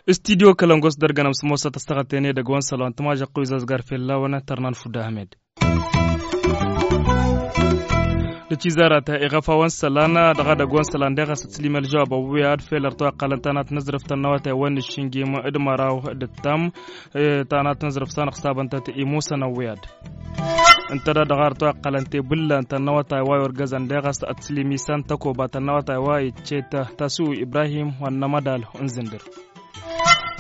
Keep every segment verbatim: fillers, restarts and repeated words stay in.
Studyo kălăngos dăr-gănăm s-mosăt ăstăɣăt-en edăgg wa n-sălan tămažăqqu izazgar fell-a-wen tărnan fudda ahmed. Dăcizarat iɣăf a-wen sălan dăɣ-edăgg wa n-sălan deɣ a-s ătslimel žăwab ăwwiyad fel ărtoqalăn tanat n-azrăft ănnăwăt a-wen n-iššǝnjim d-măraw d-ǝttam. Tanat n-azrăft s-anăɣsabăn-tăt imusăn ăwwiyad. Ǝnta da dăɣ-artoqalăn tebǝllan tănnăwăt a iwa yorgăzăn deɣ a-s ătslim isan tăkoba tănnăwăt a iwa icce tasuw ibrahim wa n-amădal unzǝndǝr.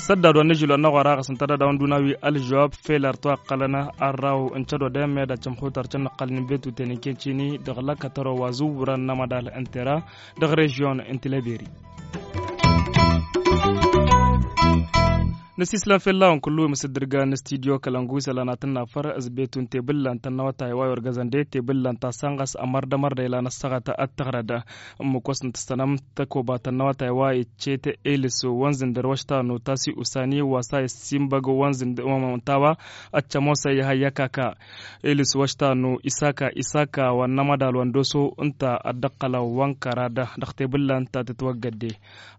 Săddad wa n-ažil wa n-aɣora ɣas ǝnta da dăɣ-wăn dun-awi ălžăwab fel ar toqqălăn arraw n-cădodem med ad-cămxutar cănnăqqăl n-inbetuten n-kencini dăɣ-lăkkătăro wa zǝwwărăn n-amădal n-tera dăɣ-režyon n-tileberi. Năsislăm fel-a-wen kullu imǝsǝddǝrgan n-studyo kălăngu isălan ad-tǝnnafăr ăzbetun tebǝllan tănnăwătay wa yorgăzăn de tebǝllan ta săn ɣas ămărdămărdăy lan ăssăɣăt ad-tăɣrăd. Ǝmmǝk wa s-nǝtǝssănăm tăkoba tănnăwătay wa iccet elis wa n-zǝndăr wa š-tanu tasi usani wa s-a issinbăg wa n-zǝndăr wa n-tawa. Ăccăm wa s-a ihăyya kaka elis wa š-tanu isaka isaka wa n-amădal wa n-doso ǝnta ad-dd-ăqqălăn wa n-kăra dăɣ-tebǝllan ta tǝtwăggădde.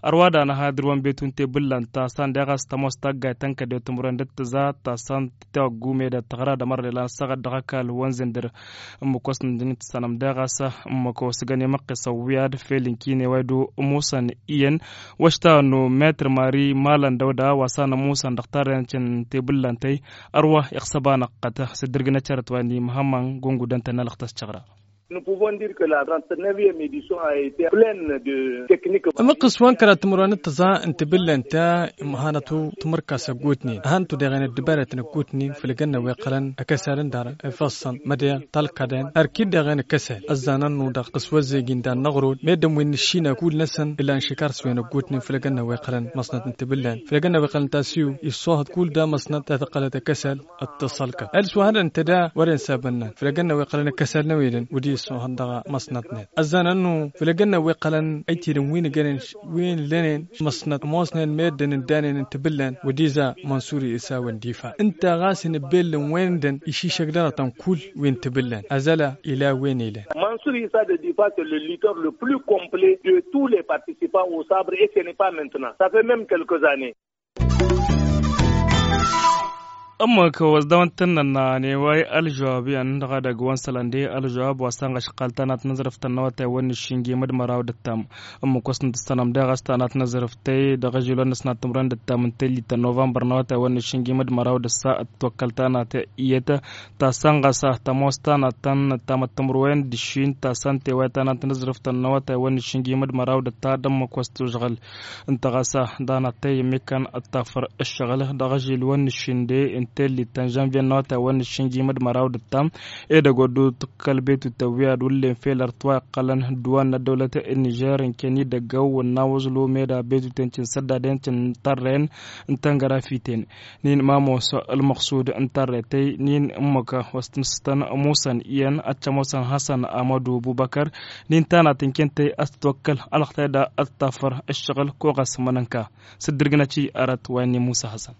Ărwa da năha dăr-wăn betun tebǝllan ta s-anda i-ɣas tămoos taggayt ta n-kăddew timǝrwen d-ǝttǝza ta s-anda titawăggu med ad-tăɣra d-amărre lan ăssaɣăt dăɣ-ăkall wa n-zǝndăr. Ǝmmǝk wa s-nǝndǝn tǝssanăm daɣ a-s ǝmmǝk wa s-găn imăqqes ăwwiyad fel ǝnkineway d-ămoosăn iyyăn wa š-tanu metr mari malăn dăwda wa s-anămoosăn dăɣ-tarrăyăn căn tebǝllan tăy. Ărwa iɣsăb-anăɣ qăt s-dd-ǝrgǝnăt šărăt wa n-imhămmăn gungudăn-tăn n-alăɣ tăscăɣra. Nous pouvons dire que la trente-neuvième édition a été pleine de techniques. Ămăqqǝs wa n-kăra timǝrwen d-tăẓa n-tebǝllan ta imhănăt timǝrkas ăggutnen hănăt-u deɣen ăddăbarătăn ăggutnen făll-egănna wa iqqălăn ăkăsal n-dar ifăṣṣăn mădeɣ talkăden ărkid deɣen ăkăsal ăzzanăn-nu dăɣ-tăswăzzegin dan n-aɣrud meddǝn wi n-nǝššină kull-năsăn ilan šikar s-wen ăggutnen făll-egănna wa iqqălăn măṣnăt n-tebǝllan făll-egănna wa iqqălăn tasiw issohăt kull da măṣnăt ta tăqqălăt ăkăsal. Ăttăṣălkăt ălswăhădăn tăda wăren sabănnan făll-egănna wa iqqălăn ăkăsal n-ewedăn wăddi issohăt dăɣ-a măṣnătnet ăzzanăn-nu făll-egănna wa iqqălăn ăytidăn wi n-egănen wi n-lănen măṣnăt ămoosnen meddǝn ǝndanen n-tebǝllan wăddi za mănsuri isawen difa ǝnta ɣas inǝbbellăn wen-dăn išišăk dăr-tăn kull wi n-tebǝllan ăzăla ila wen-ilăn. Mănsuri isa de difa s-le lutteur le plus complet de tous les participants au sabre et ce n-est pas maintenant sa fait meme quelques années. Ǝmmǝk wa s-dăɣ-wăn tǝnnănna n-e-way ălžăwab iyyăn dăɣ-edăgg wa n-sălănde ălžăwab wa s-anɣăšɣal tanat n-azrǝft n-awătay wa n-iššǝnjim d-măraw d-ǝttam. Ǝmmǝk wa s-nǝtǝssănăm daɣ a-s tanat n-azrǝft tăy dăɣ-ažil wa n-năsnat timǝrwen d-ǝttam n-tellit ta n-novămbăr n-awătay wa n-iššǝnjim d-măraw d-ǝssa ătwăkkăl tanat iyyăt ta s-anɣăsa tămoos tanat ta n-ǝttamăt timǝrwen d-ǝššin ta s-ănta e-way tanat n-azrǝft n-awătay wa n-iššǝnjim d-măraw d-ǝtta d-ǝmmǝk wa s-tužɣǝl. Ǝnta ɣas danăt tăy ǝmmǝk kăn ăttafăr ǝššăɣǝl dăɣ-ažil wa n-ǝššǝnde n-tellit ta n-žănvye n-awătay wa n-ǝššǝnjim d-măraw d-ǝttam. Edăgg wa dd-tǝkkăl betu tăwwi ad-wǝllen fel ărtwa iqqălăn dd-wa n-ăddăwlăt n-nižer n-ken idăgg-ăw wănna wăẓlu meda betu-ten cǝnsăddaden cǝntărren n-tăngărafiten. Nin mamos ălmăqsud n-tarret tăy nin ǝmmǝk wa s-tǝnǝstăn musăn iyyăn ad-tămosăn hasăn amădu bubăkăr. Nin tanat n-ken tăy ad-tǝtwăkkăl alăɣtay da ad-tafăr ǝššăɣǝl ko ɣas mănănka s-dd-ǝrgǝnăt i-arăt wa inni musa hasăn.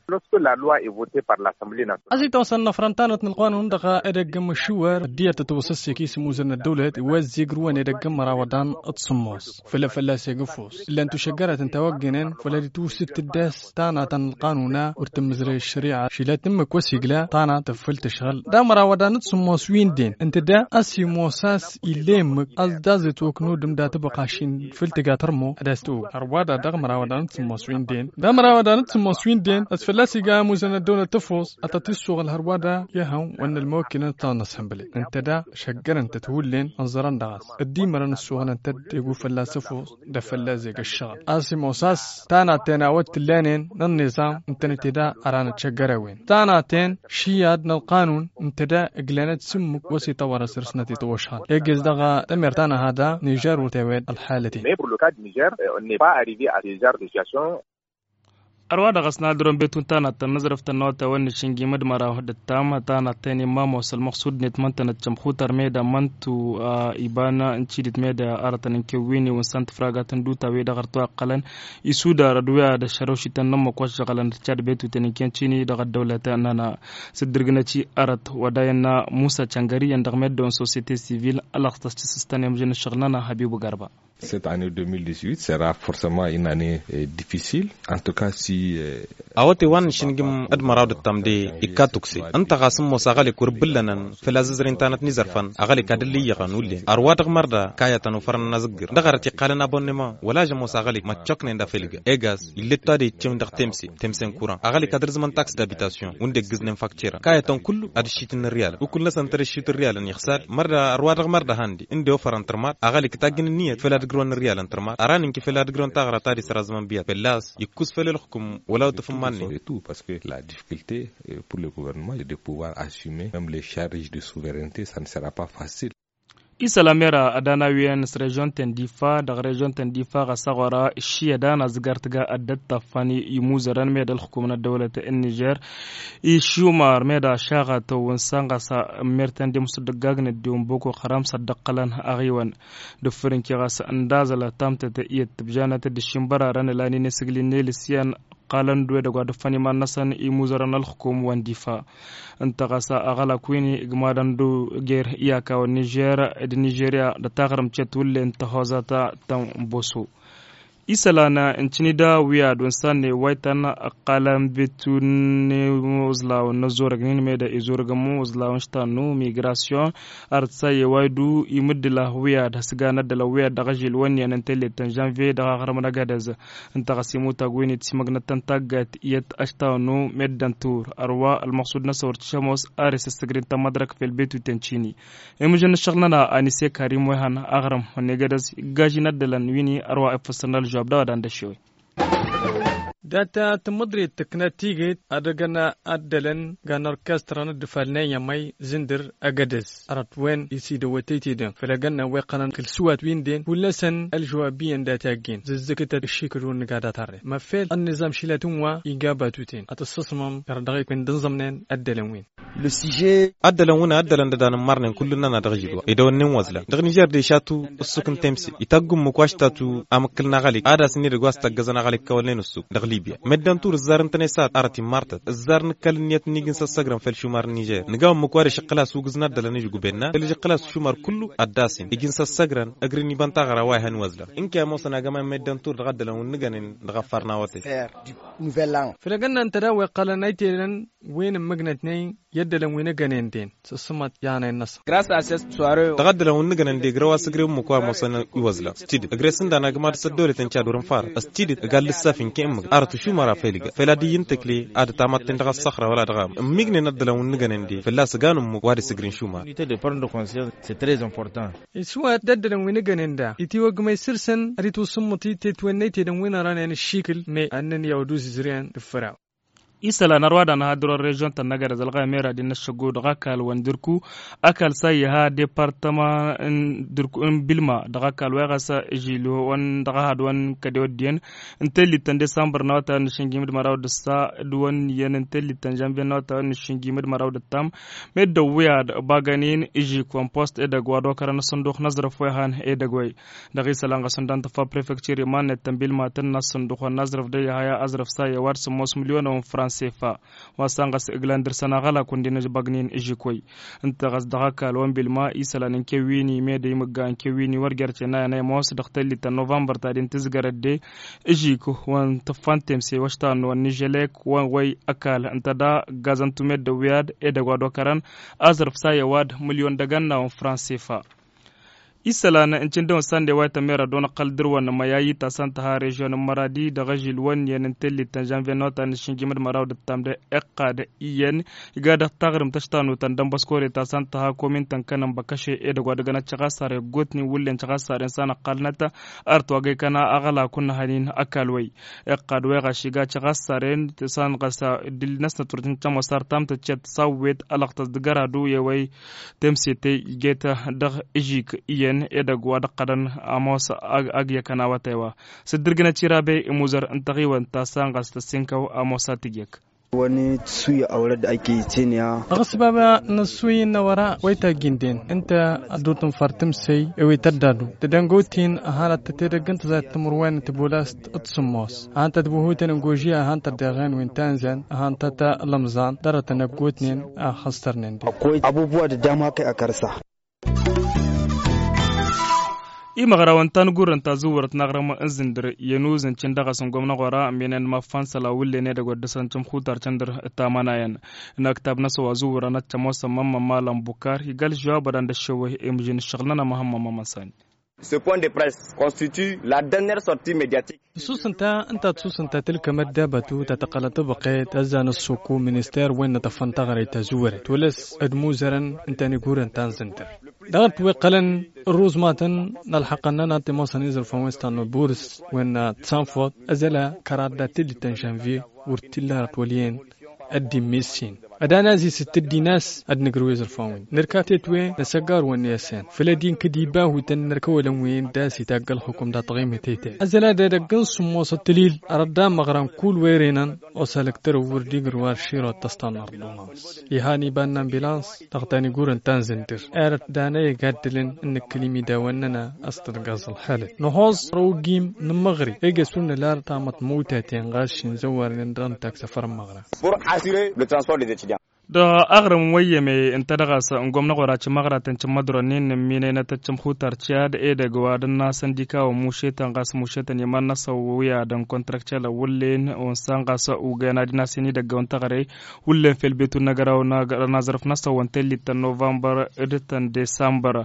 Lorsque la loi est votée par l'assemblée nationale. Ăzitawăsăn n-afrăn tanăt n-ălqanun dăɣ-edăgg n-măšuwăr ăddinăt tătwăsăsek isǝmuzăr n-ăddăwlăt iwăzzig rǝwăn edăgg n-mărawăḍan d-sǝmmos făll-fălla-s egǝfus. Ǝllan tušăggărăt n-tawăggănen făll-ad-itwǝsǝt tǝddas tanatăn n-ălqanun-a wăr tǝmmǝzrăy ăššări'a šilăt ǝmmǝk wa s-igla tanat făll-tǝšɣǝl d-amărawăḍan d-sǝmmos wi n-den ǝnta da a-s imoos a-s illa emmǝk a-s daẓ-itwăknudǝm dat-ăbăqaš-in făll-tǝga tărmo ad-as-tǝwǝg hărwa da dăɣ-mărawăḍan d-sǝmmos wi n-den d-amărawăḍan d-sǝmmos wi n-den a-s fălla-s iga amuzăn ăddăwlăt tăfos ad-tăt-issoɣăl hărwa da i-hăn wănna ălmăwăkkinăn tănăshănbălăy ǝnta da šăggărăn-tăt hullen ănẓărăn dăɣ-s ăddimărăn ǝssoɣlăn-tăt egu fălla-s ăfos d-afălla zeg ăššăɣăl a-s imoos a-s tanaten a-wa t-tǝllanen n-ănniẓam ǝntănăt eda ăranăt šăggăr-a-wen tanaten šiyad n-ălqanun ǝnta da ǝglanăt s-ǝmmǝk wa s-itawăr asăr-snăt itwăšhăn egg-s dăɣ-tămert ta n-ehăda nižer wăr tewed ălxalăten. Mais pour le cas du nižer on n'est pas arrivé à ce genre de situation. Ărwa dăɣ-s n-ad-dăr-wăn betun tanattăn n-azrăftăn n-awătay wa n-išǝnjim d-măraw d-ǝttam tanattăn i-mamos ălmăqsud-net măn-tănăt cămxutăr meda măn-tu a iba n-cidǝt meda arătăn n-kewwini wǝnsan tǝfragatăn d-utawi dăɣ-ărtăw iqqălăn isudar d-wi ad-ăššărăwšităn n-ămmăk wa ăššăɣălăn d-cad betuten n-kăncini dăɣ-ăddăwlăt n-ana s-dd-irgǝnăt-i arăt wa dayăn n-musa căngări iyyăn dăɣ-meddăwăn societe sivil ălxăs tăscǝsǝstăn i-amǝžăn ǝššăɣǝl n-ana habibu garba. Cette année deux mille dix-huit sera forcement une année difficile. En tout cas si. Awăte wa n-išǝngǝm d-măraw d-ǝttam de ikka tukse ǝnta ɣas n-ămoos aɣălek wăr ǝbbǝllănăn făl-a zǝzrǝy n-tanăt n-izărfăn aɣălek ad-ǝllǝyyăɣăn ullen ărwa dăɣ-mărda kayătăn ufărăn n-azǝggǝr dăɣ-arăt iqqalăn abonnement wăla žămoos aɣălek măccoknen d-afăl iga egas ill'-e t-wa de iccăwăn dăɣ-temse temse n-kuran aɣălek ad-ǝrzǝmăn taks d-abitasyon wǝnda iggǝznen fakcera kayătăn kullu ad-ǝššitǝn n-ǝrriyalăn ukǝl-năsăn tărǝššit ǝrriyalăn ixsad mărda ărwa dăɣ-mărda handi ǝnde ofărăn tărmat aɣălek tajjǝn ǝnniyăt făll-ad-ǝgrǝwăn ǝrriyalăn tărmat ara n-inki făll-ad-ǝgrǝwăn taɣra ta d-israzmăn biyat fălla-s ikkǝs făll-ălxǝkǝm wăla otăf n-iman-net. Parce que la difficulté pour le gouvernement de pouvoir assumer même les charges de souveraineté ça ne sera pas facile. Isălan mera ad-ana wi-en s-režion-ten difa dăɣ-režion-ten difa ɣas aɣora ǝššiyăd ana zǝgar tǝga ăddăt taffan imuzărăn meda ălxǝkum n-ăddăwlăt n-nižer išumar meda šaɣătăw wǝnsan ɣas ămmer-ten d-imǝsudăggagnet d-iwǝnboko xăram s-ad-dd-ăqqălăn aɣiwăn d-ǝffǝrǝnki ɣas ǝndazălăt tamtăt iyyăt tǝbjanăt d-ǝššimbărarăn ǝlan-in isǝgli n-elǝs iyyăn ǝqqalăn-dd wedăgg wa d-ǝffăn iman-năsăn imuzărăn ălxǝkum wa n-difa. Ǝnta ɣas aɣălak wi n-igmadăn d-oger iyaka wa n-nižer d-nižerya d-taɣrǝmt cetwǝl n-tăhoza ta ta n-boso. Isălan n-cǝnida wi ad-wǝnsan n-ewwaytăn ǝqqalăn betun n-iwǝẓlawăn n-ăzzorăgnin meda izorăgăn iwǝẓlawăn ǝštannu migrasyon. Arăt s-a i-ewaydu imǝddǝla wi ad-hăsgan ăddălăn wi ad-dăɣ-ažil wănniyăn n-tellet ta n-žănviye dăɣ-aɣrǝm n-agădăz. Ǝnta ɣas imutag wi n-itsimăgnăt tăn-taggayt iyyăt ăštannu meddǝn tur ărwa ălmăqsud-năsăn wăr t-šămoos ar isǝssǝgrin tămmădrăk fel betuten cini. Imǝžăn n-ǝššăɣǝl-nănăɣ anise karim wa ihăn aɣrǝm wănnegădăz iggažin ăddălăn wini ărwa ifǝssăn ălžăwab d-a-wa dan d-ăššewăy. Dat-tămmăḍrit tǝknat tiget ad-ăgăn ăddălăn gan orkestrăn d-ifalnen i-amăy zǝndǝr agădăz arăt wen isidăwăt tăytedăn făll-ăgănna wa iqqănăn kăl-sǝwat wi ǝnden kull-năsăn ălžăwab iyyăn dat-i-aggen zǝzzǝkǝtăt ǝššikǝl wǝnnǝga dat-arre măffel ănniẓam šilăt n-wa iga batuten ad-t-ǝssǝṣmăm kăra dăɣ-ikwen d-ǝnẓămnen ăddălăn wi-n. Ăddălăn wǝnna ăddălăn d-ădanămmărnen kull-nănăɣ dăɣ-žilwa idăwănnen wăẓlan dăɣ-nižer de šatu ǝssuk n-temse itagg ǝmmǝk wa š-tatu amǝkkǝl n-aɣalik ad-asǝnni dăgg-wa s-tăggăzăn aɣalik kăwălnen ǝssuk dăɣ-libya meddǝn tur ǝzzar ǝntăne s-ad-arăt immărtăt ǝzzar nǝkkal ǝnniyăt n-iji n-săssăgrăn făll-išumar n-nižer nǝgaw ǝmmǝk wa d-išǝqqǝl-as ugǝz n-ăddălăn ǝžgubenna făll-išǝqqǝl-as išumar kullu ad-dd-asǝn iji n-săssăgrăn ăgrǝn iba n-taɣra wa ihăn iwăzlăn ǝnke a ămoosăn agămay meddǝn tur dăɣ-ăddălăn wi n-nǝgănen dăɣ-ăffar n-awătay. Făll-ăgg-nănăɣ tădawăy iqqălăn a itedăn wen ǝmmǝgnătnen i-ăddălăn wi n-ăggănen den s-ǝssǝmăt i-anăyăn-năsăn. Dăɣ-ăddălăn wi n-nǝgănen degrăw asǝgrew ǝmmǝk wa ămoosăn iwăzlăn s-tidǝt ǝgre-s ǝndan agǝmad s-ăddolăten cad wăr-ǝnfarăt s-tidǝt ǝga l-ǝssaf inke ǝmmǝk arăt ǝšumăr a făyl iga făl ad-iyyǝn tǝkle ad-ătamătten dăɣ-ăṣṣăxra wăla dăɣ-amǝn ǝmmignen ăddălăn wi n-nǝgănen de fălla-s ǝgan ǝmmǝk wa d-isǝgren šumăr. Isǝwat d-ăddălăn wi n-ǝggănen da itiwăggmăy săr-săn ad-itwǝssǝmmăt i-tetwen n-aytedăn wi n-ărănen ǝššikǝl me ad-nǝnyaw d-uzǝzrǝyăn d-ǝffăraw. Isălan ărwa d-anăha dăr-ălrežion-tăn n-agădăz ălɣayăm era d-innă ăššăggo dăɣ-ăkall wa n-dǝrku ăkall s-a iha departăma n-dǝrku n-bilma dăɣ-ăkall wa iɣas žil wa n-dăɣ-ahad wa n-kăde wăddiyen n-tellit ta n-desambăr n-awătay wa n-išǝnjim d-măraw d-ǝssa d-wăn iyyăn n-tellit ta n-žanviye n-awătay wa n-išǝnjim d-măraw d-ǝttam. Meddǝn wi ad-bagăn-in ižik wa n-post edăgg wa d-okărăn ăṣṣăndux n-aẓrǝf wa ihan edăgg-way. Dăɣ-isălan ɣas ǝnda n-tǝffa prefektir iman-net tănbilmatăn n-asǝnduxăn n-aẓrǝf d-ăyy haya aẓrǝf s-a i-ăwadǝm s-ămoos mǝlyonăn n-fransefa. Wa s-san ɣas ǝglan dăr-săn aɣălak wǝndin ăbăgnin ǝžǝk-way. Ǝnta ɣas dăɣ-ăkall wa n-bilma isălan n-kewwini mede imǝgga n-kewwini wăr jer-cen a i-ămoos dăɣ-tellit ta n-novămbăr ta din tǝzgărăt de ǝžǝk wa n-tǝffa n-temse wa š-tannu wa n-ižălek wa n-way ăkall ǝnta da ǝggazăn tumed d-ăwwiyad edăgg wa d-okărăn aẓrǝf s-a i-ăwad mǝlyon d-agănna wa n-fransefa. Isălan n-cǝndăwăn sande wa itămmerăd wa n-ăqqăl dăr-wăn n-măyayy ta s-ănn tăha režion n-măradi dăɣ-ažil wăn iyyăn n-tellit ta n-žanviye n-awătay n-išǝnjim d-măraw d-ǝttam d-iqqad iyyăn iga dăɣ-taɣrǝmt ăštanu ta n-dănbăskore ta s-ănn tăha komin ta n-kănăn băkăše edăgg wa d-ăgg n-ad-căɣassare ăggootnen wǝllen căɣassaren s-anăqqalnăt. Ărăt wa găykăna aɣălak wa n-ehăn-in ăkall-way iqqad wa iɣaš iga căɣassaren s-anăɣăs dăl-năsnăt wăr t-nǝccăm wa s-artam tăccet s-awwet ălăɣtăs dăgg-ăradu i-ewăy temsetey ijet dăɣ-ižik iyyăn. Edăgg wa d-ăqqădăn ămoos. Ăgg-iyyăkăn awătay wa s-dd-irgǝnăt irabe imuzăr n-taɣiwăn ta s-anɣas tăssinkăw ămoos a t-iyyăk. Wănni tǝsuyya awălăd ăyke itǝnǝya. Dăɣ-s baba n-ăssuy n-awăra wa itajjǝnden ǝnta ad-dd-tǝnfăr tǝmsăy i-wi tăddadu tădăngotin ăhalăt tătedăgg n-tăzayăt timǝrwen n-tibulast d-sǝmmos. Ăhăn-tăt buhutăn n-gožiya ăhăn-tăt deɣen wi n-tanzan ăhăn-tăt ălămẓan dăr-tăn ăggotnen a xăstărnen. Abubuwa d-dam hakăy akăr-sa. Imăɣrawăn ta n-gurrăn ta zǝwwărăt n-aɣrǝm n-zǝndǝr i-ănuzǝn cǝn dăɣ-s n-gomnăɣora minen maffansăla wǝllen edăgg wa dd-săn cǝmxutar cǝndǝr. Tamănayăn n-aktab-năsăn wa zǝwwărăn ad-t-ămoosăn mămmămalăn bukar igal žăwabădan d-ăššăwăy i-mǝžin ǝššăɣǝl-nănăɣ măhămmămămăsani. Ce point de presse constitue la dernière sortie médiatique. Ǝssusǝnta ǝnta ǝssusǝnta tǝlkămăt d-abatu ta tăqqălăt ăbăqet ăzzan ăssoku minister wen n-atăffăn taɣrăyt ta zǝwărăt tolăs d-imuzărăn ǝnta n-igurrăn ta n-zǝntăr. Dăɣ-t wi qqălăn ărruzmatăn n-ălxăqqăn-nănăɣ timosăn izărfăn wen s-tannă burǝs wen n-atsanfot ăzăla kăraḍ dat-tǝllit ta n-žănvye wăr t-illa arăt wăl' iyyăn. Ăddim issin ad-anăzis d-tǝddin a-s ad-nǝgrǝw izărfan-win nǝrka tetwe n-asăggar-wăn n-iyyăsăn făll-ăddin kăd-iba hutăn n-ărkăwălăn wi n-das itagg ălxukum dat-ɣimǝtete. Ăzăla d-edăgg n-sǝmmos d-tǝlil arăt d-amăɣra n-kull wa ere-năn osa lăktărăw wăr dd-igrǝw ar širot tăstannăr d-unămăs. Ihan iba n-ambilans dăɣ-tanigurăn ta n-zǝndǝr erăt danăy ăgaddǝlăn n-nǝkkǝl imidawăn-nănăɣ a-s tălgăẓ ălxalăt năhoẓ răwgim n-imăɣri egăs wăr nǝla tamăḍt măwtaten ɣas šinzăwwarnen dăɣ-nǝttak săfăr n-imăɣra. Pour assurer le transport des étudiants. Dăɣ-aɣrǝm n-wăyyăme ǝnta dăɣ-a-s n-gomnăɣ wăr-a cǝmmăɣratăn cǝmmădronin n-imminăynăt ăccǝmxutar ciyad edăgg wa d-ănn a-s ăndikaw ămmušetăn ɣas mušetăn iman-năsăn wi ad-ănkontărăkcălăn wǝllen wa n-san ɣas ugăyăn ad-inasen idăggăwăn taɣre wǝllen fel betu n-agăraw n-azărăf-năsăn wa n-tellit ta n-novămbăr d-ta n-desămbăr.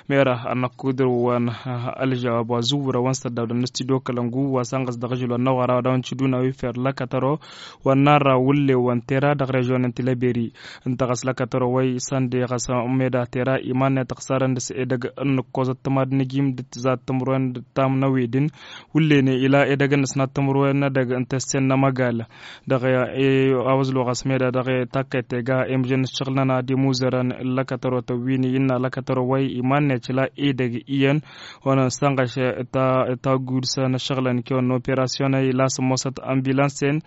Mera ad-năkkudur wa n-ălžăwab wa zǝwwǝrăn wa n-săddawdăn n-studio kălăngu wa san ɣas dăɣ-ažǝl wa n-năɣora wa dăɣ-nǝcǝduna wi fer lăkătăro wa n-narra wǝllen wa n-tera dăɣ-režion n-tilăberi. Ǝnta ɣas lăkătăro wa isănde ɣas meda tera iman-net ăɣsarăn dăɣ-s edăgg n-nǝkkoẓăt tămad n-ijim d-tǝzat timǝrwen d-tam n-ewedǝn wǝllen ila edăgg n-ăsnat timǝrwen n-edăgg n-tăssen n-amăgal. Dăɣ-e a wăzlo ɣas meda dăɣ-e takkăyt tega emžăn ǝššăɣǝl-nănăɣ d-imuzărăn n-lăkătărotăn wi n-iyyǝnna lăkătărot wa iman-net ila edăgg iyyăn wa n-sănɣăš. Taggud s-ănăššăɣǝlăn kewăn n-operasyon ila s-ămoosăt ambilans-en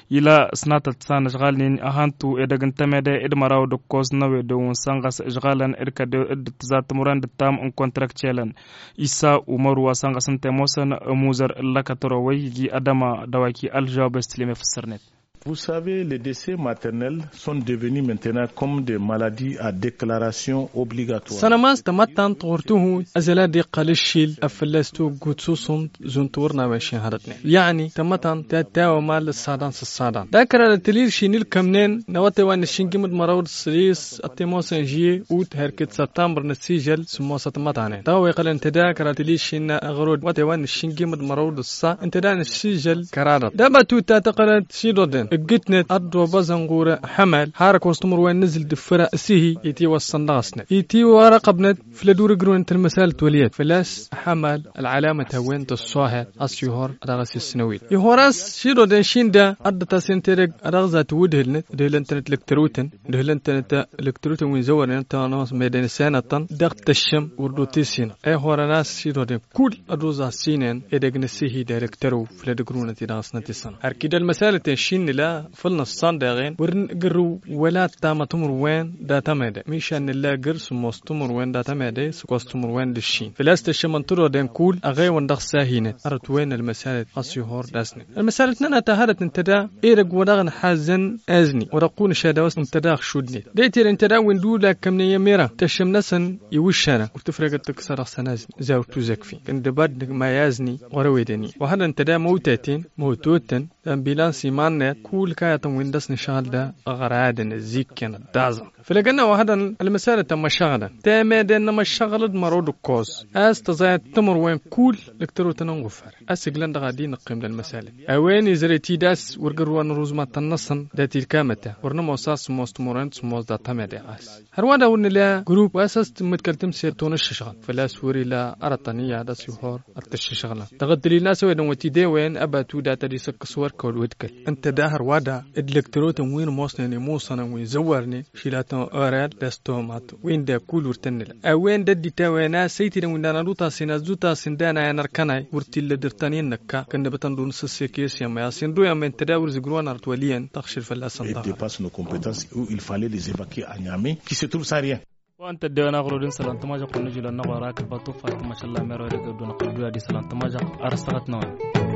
ila ăsnatăt s-anăšɣalnen ăhantu edăgg n-temede d-măraw d-ǝkkoẓ n-ewedǝw n-sănɣăš ǝžɣalăn d-kăddew d-tǝzat timǝrwen d-ǝttam n-kontrăkčelăn. Isa umăru wa săn ɣas ǝnta i-ămoosăn ămuzăr n-lăkătăro wa iji ad-ăma dăwaki ălžăwab s-tǝlem efǝssărnet. Vous savez, les décès maternels sont devenus maintenant comme des maladies à déclaration obligatoire. Sănămas tamăttant ɣur-tihut ăzăla d-iqqăl ǝššil ăffălla s-toggut s-uṣunt zunt wăr n-a-wen šin hărătnen. Yăعني tamăttant ta tawămal ǝssadan s-ǝssadan d-akăra d-tǝlil šin ilkămnen n-awătay wa n-ǝššǝnjim d-măraw d-sălis ăttimosăn žie ut herkit săttămbăr n-ăssižăl sǝmmosăt mătanen dăɣ-a-wa iqqălăn tăda kăra tǝlil šin n-aɣrod wa tewăn n-ǝššǝnjim d-măraw d-ǝssa ǝnta da n-ǝššǝžăl kăraḍăt d-abătut ta tăqqălăt šiḍoden ǝggǝtnet ăḍḍobăẓăn ɣur-ăḥămal har ăkkoẓ timǝrwen n-azǝl d-ǝffǝra s-ihi itiwăssăn dăɣ-asnăt itiwărăqăbnăt făll-ad-ur-ǝgrǝwăn tălmăsalăt wăl' iyyăt făl-a-s ăḥămal ălɣălamăt a-wen tăṣṣohăt a-s ihor dăɣ-s issǝnăwit ihor a-s šiḍoden šin da ăḍḍăt-asen tedăgg a dăɣ-za tǝwǝdhǝlnăt dǝhǝlăn-tănăt lăktărotăn dǝhǝlăn-tănăt lăktărotăn wi n-zăwărnen tănăs meden s-enăṭṭăn dăɣ-tăššăm wăr dd-otisinăt ihorăn a-s šiḍoden kull ăḍoẓ a ăssinen edăgg n-ăssihid elăktărăw făll-ad-ǝgrǝwnăt-i dăɣ-s nătisănăt ărkidăl măsalăten šin nǝla făll-năṣṣan deɣen wăr nǝgǝrrǝw wăla tamăt timǝrwen dat-amede mišan nǝlla găr sǝmmos timǝrwen dat-amede s-ǝkkoẓ timǝrwen d-ǝššin făl-a-s tăššămăn tiḍoden kull ăɣewăn dăɣ-s a hinăt ărăt wen ălmăsalăt a-s ihor d-asnen ălmăsalăt-nănăɣ ta hărăt ǝnta da edăgg wa dăɣ-nǝḥazzăn azni wa dăɣ-kăwăn ăšadăwăs ǝnta da ăɣšudnet d-etere ǝnta da wi n-dula ǝkkămnen i-emera tăššăm-năsăn iwǝššarăn wăr tǝfregăt tǝkkǝsăd dăɣ-săn azni. Zay wăr tuzăkfi kăndăbad nǝgmay azni ɣur-eweden-i wa hărăt ǝnta da măwtaten măwtotăn d-ambilans iman-net kull kayătăn wi n-dăɣ-s nǝšɣǝl da ăɣradăn ăzzikkăn ăddaẓăn făll-egănna wa hărăt ălmăsalăt ămmăšăɣlăn temeden n-amăšăɣlăd măraw d-ǝkkoẓ a-s tăẓayăt timǝrwen kull lăktărotăn n-iɣuffar a-s ǝglăn dăɣ-ad-dd-inǝqqim d-ălmăsalăt a-wen izăret-dd a-s wăr gărrǝwăn ruzmatăn-năsăn dat-ilkamăta wăr nămoos a-s sǝmmos timǝrwen d-sǝmmos dat-amede ɣas hărwa da wăr nǝla grup wa s-a-s tǝmmǝdkăl tǝmsert wa n-ǝššǝšɣăl făl-a-s wăr-ila arătăn iyyăḍ a-s ihor ad-t-ǝššǝšɣǝlăn dăɣ-ăddălil n-a-s ăwedăn wăt-idewăyăn ăbatu dat-ad-isǝkkǝs wăr Kăwăl wădkăl ǝnta da hărwa da d-lăktărotăn wi n-ămoosnen i-imusănăn wi n-zăwwarnen. Šilatăn orel d-astomat wi n-da kull wăr tăn-nǝla a-wen d-ădditawăn a-s ăytidăn wi n-dana d-utasin a-s d-utasin d-anayăn ărkănay wăr t-illa dăr-tăn-in-năkka kănnăbătăn d-unǝsǝssek i-s i-ămăy a-s inḍu i-ămăy ǝnta da wăr zǝgrǝwăn arăt wăl' iyyăn tăɣšǝl fălla-săn. Dăɣ-depasnă competențe u-il fale les evacuer a nyame. Qui se trouve sarien. Wa ǝnta ăddewăn aɣrud n-isălan tămažăɣt wa n-ijulăn n-aɣora kăl-batu faytăm ašăl la mera wa dăgg-ăddu n-ăqqăl ădduya d-isălan tămažăɣt. Ar ăstăɣăt n-awăn.